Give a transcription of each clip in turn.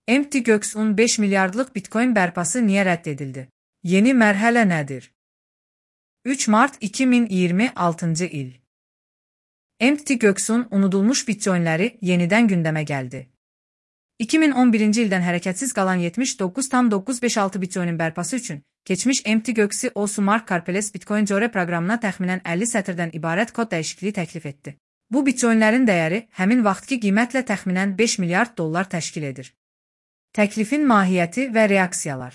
Mt. Gox'un 5 milyardlık Bitcoin bərpası niyə rədd edildi? Yeni mərhələ nədir? 3 Mart 2026 il. Mt. Gox'un unudulmuş bitcoinləri yenidən gündəmə gəldi. 2011-ci ildən hərəkətsiz qalan 79,956 bitcoinin bərpası üçün keçmiş Mt. Gox'i Mark Karpeles Bitcoin Core proqramına təxminən 50 sətirdən ibarət kod dəyişikliyi təklif etdi. Bu bitcoinlərin dəyəri həmin vaxtki qiymətlə təxminən 5 milyard dollar təşkil edir. Təklifin mahiyyəti və reaksiyalar.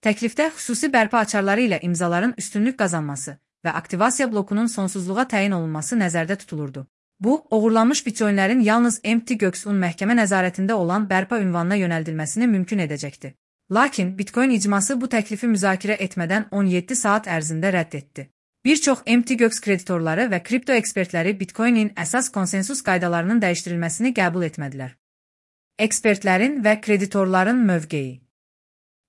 Təklifdə xüsusi bərpa açarları ilə imzaların üstünlük qazanması və aktivasiya blokunun sonsuzluğa təyin olunması nəzərdə tutulurdu. Bu, oğurlanmış bitcoinlərin yalnız Mt. Gox'un məhkəmə nəzarətində olan bərpa ünvanına yönəldilməsini mümkün edəcəkdi. Lakin Bitcoin icması bu təklifi müzakirə etmədən 17 saat ərzində rədd etdi. Bir çox Mt. Gox kreditorları və kripto ekspertləri Bitcoinin əsas konsensus qaydalarının dəyişdirilməsini qəbul etmədilər. Ekspertlərin və kreditorların mövqeyi.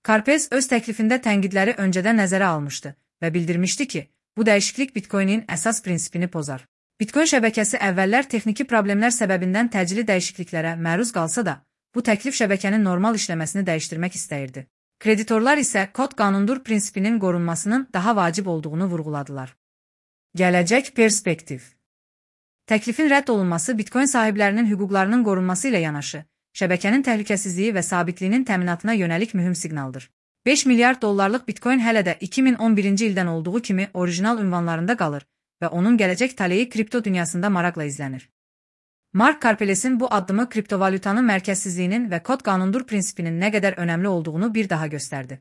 Karpes öz təklifində tənqidləri öncədən nəzərə almışdı və bildirmişdi ki, bu dəyişiklik Bitcoinin əsas prinsipini pozar. Bitcoin şəbəkəsi əvvəllər texniki problemlər səbəbindən təcili dəyişikliklərə məruz qalsa da, bu təklif şəbəkənin normal işləməsini dəyişdirmək istəyirdi. Kreditorlar isə kod qanundur prinsipinin qorunmasının daha vacib olduğunu vurğuladılar. Gələcək perspektiv. Təklifin rədd olunması Bitcoin sahiblərinin hüquqlarının qorunması ilə yanaşı, şəbəkənin təhlükəsizliyi və sabitliyinin təminatına yönəlik mühüm siqnaldır. 5 milyard dollarlıq Bitcoin hələ də 2011-ci ildən olduğu kimi orijinal ünvanlarında qalır və onun gələcək taleyi kripto dünyasında maraqla izlənir. Mark Karpeles'in bu addımı kriptovalyutanın mərkəzsizliyinin və kod qanundur prinsipinin nə qədər önəmli olduğunu bir daha göstərdi.